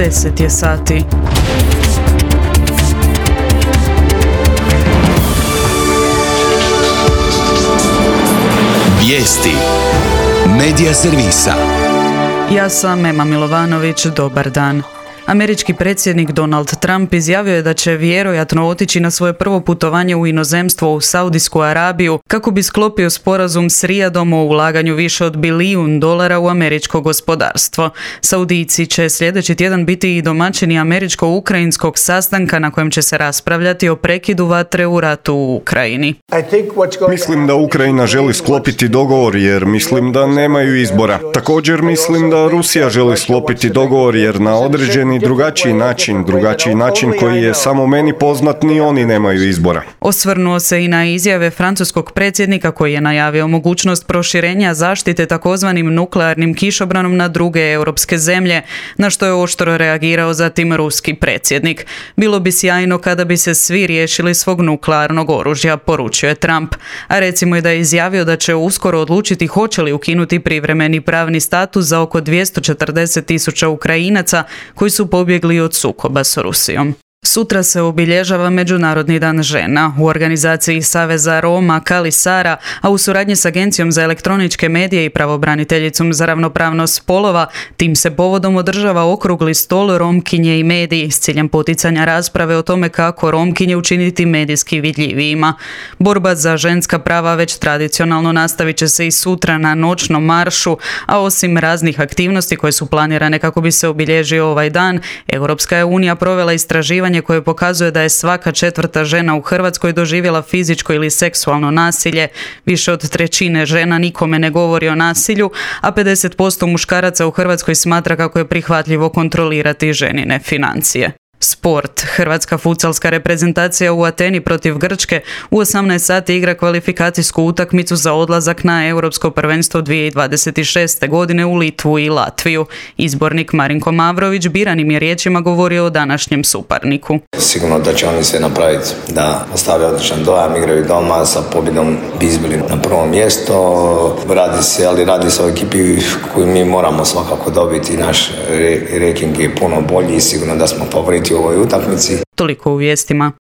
10 je sati. Vijesti Medija servisa. Ja sam Ema Milovanović, dobar dan. Američki predsjednik Donald Trump izjavio je da će vjerojatno otići na svoje prvo putovanje u inozemstvo u Saudijsku Arabiju kako bi sklopio sporazum s Rijadom o ulaganju više od $1 bilijun u američko gospodarstvo. Saudijci će sljedeći tjedan biti i domaćini američko-ukrajinskog sastanka na kojem će se raspravljati o prekidu vatre u ratu u Ukrajini. Mislim da Ukrajina želi sklopiti dogovor jer mislim da nemaju izbora. Također mislim da Rusija želi sklopiti dogovor jer na određeni drugačiji način koji je samo meni poznat, ni oni nemaju izbora. Osvrnuo se i na izjave francuskog predsjednika koji je najavio mogućnost proširenja zaštite takozvanim nuklearnim kišobranom na druge europske zemlje, na što je oštro reagirao zatim ruski predsjednik. Bilo bi sjajno kada bi se svi riješili svog nuklearnog oružja, poručio je Trump. A recimo je da je izjavio da će uskoro odlučiti hoće li ukinuti privremeni pravni status za oko 240,000 Ukrajinaca koji su pobjegli od sukoba s Rusijom. Sutra se obilježava Međunarodni dan žena. U organizaciji Saveza Roma Kali Sara, a u suradnji s Agencijom za elektroničke medije i pravobraniteljicom za ravnopravnost spolova, tim se povodom održava okrugli stol Romkinje i mediji s ciljem poticanja rasprave o tome kako Romkinje učiniti medijski vidljivijima. Borba za ženska prava već tradicionalno nastavit će se i sutra na noćnom maršu, a osim raznih aktivnosti koje su planirane kako bi se obilježio ovaj dan, Europska je unija provela istraživanje koje pokazuje da je svaka 4. žena u Hrvatskoj doživjela fizičko ili seksualno nasilje. Više od 1/3 žena nikome ne govori o nasilju, a 50% muškaraca u Hrvatskoj smatra kako je prihvatljivo kontrolirati ženine financije. Sport. Hrvatska futsalska reprezentacija u Ateni protiv Grčke u 18 sati igra kvalifikacijsku utakmicu za odlazak na Europsko prvenstvo 2026. godine u Litvu i Latviju. Izbornik Marinko Mavrović biranim je riječima govorio o današnjem suparniku. Sigurno da će oni sve napraviti da ostave odličan dojam, igraju doma sa pobjedom bi izbili na prvo mjesto. Radi se o ekipi koju mi moramo svakako dobiti. Naš ranking je puno bolji i sigurno da smo favoriti u ovoj utakmici. Toliko u vijestima.